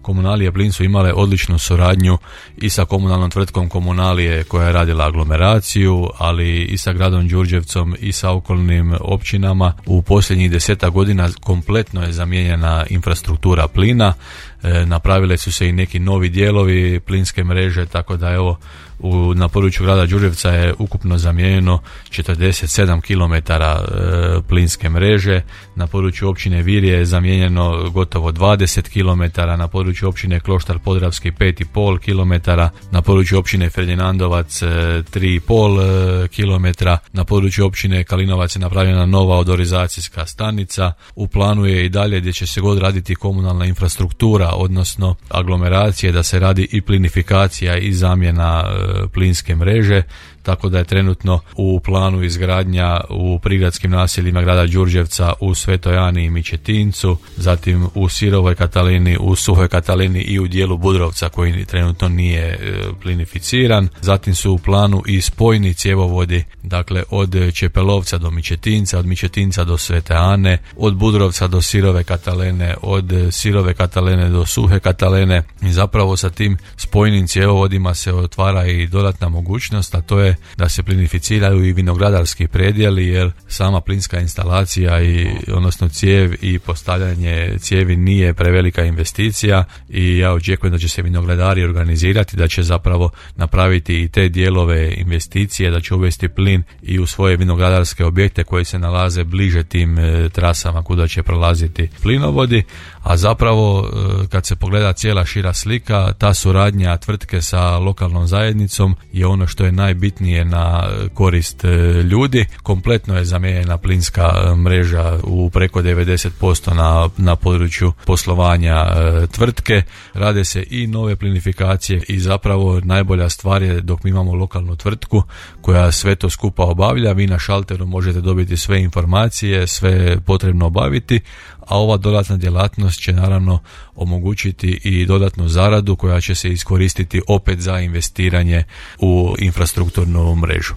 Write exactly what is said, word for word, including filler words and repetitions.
Komunalije Plin su imale odličnu suradnju i sa komunalnom tvrtkom Komunalije koja je radila aglomeraciju, ali i sa gradom Đurđevcom i sa okolnim općinama. U posljednjih deseta godina kompletno je zamijenjena infrastruktura plina, e, napravile su se i neki novi dijelovi plinske mreže, tako da evo u, na području grada Đurđevca je ukupno zamijenjeno četrdeset sedam kilometara e, plinske mreže, na području općine Virje je zamijenjeno gotovo dvadeset kilometara, na području općine Kloštar Podravski pet i pol kilometara, na području općine Ferdinandovac e, tri i pol e, kilometra, na području općine Kalinovac je napravljena nova odorizacijska stanica, u planu je i dalje gdje će se god raditi komunalna infrastruktura, odnosno aglomeracije, da se radi i plinifikacija i zamjena e, plinske mreže, tako da je trenutno u planu izgradnja u prigradskim naseljima grada Đurđevca u Svetoj Ani i Mičetincu, zatim u Sirovoj Katalini, u Suhoj Katalini i u dijelu Budrovca koji trenutno nije e, plinificiran. Zatim su u planu i spojni cjevovodi, dakle od Čepelovca do Mičetinca, od Mičetinca do Svete Ane, od Budrovca do Sirove Katalene, od Sirove Katalene do Suhe Katalene, i zapravo sa tim spojnim cjevovodima se otvara i dodatna mogućnost, a to je da se plinificiraju i vinogradarski predjeli, jer sama plinska instalacija i odnosno cijev i postavljanje cijevi nije prevelika investicija, i ja očekujem da će se vinogradari organizirati, da će zapravo napraviti i te dijelove investicije, da će uvesti plin i u svoje vinogradarske objekte koji se nalaze bliže tim e, trasama kuda će prolaziti plinovodi. A zapravo e, kad se pogleda cijela šira slika, ta suradnja tvrtke sa lokalnom zajednicom je ono što je najbitnije na korist ljudi. Kompletno je zamijenjena plinska mreža u preko devedeset posto na, na području poslovanja e, tvrtke. Rade se i nove plinifikacije i zapravo najbolja stvar je dok mi imamo lokalnu tvrtku koja sve to skupa obavlja, vi na šalteru možete dobiti sve informacije, sve potrebno obaviti, a ova dodatna djelatnost će naravno omogućiti i dodatnu zaradu koja će se iskoristiti opet za investiranje u infrastrukturnu mrežu.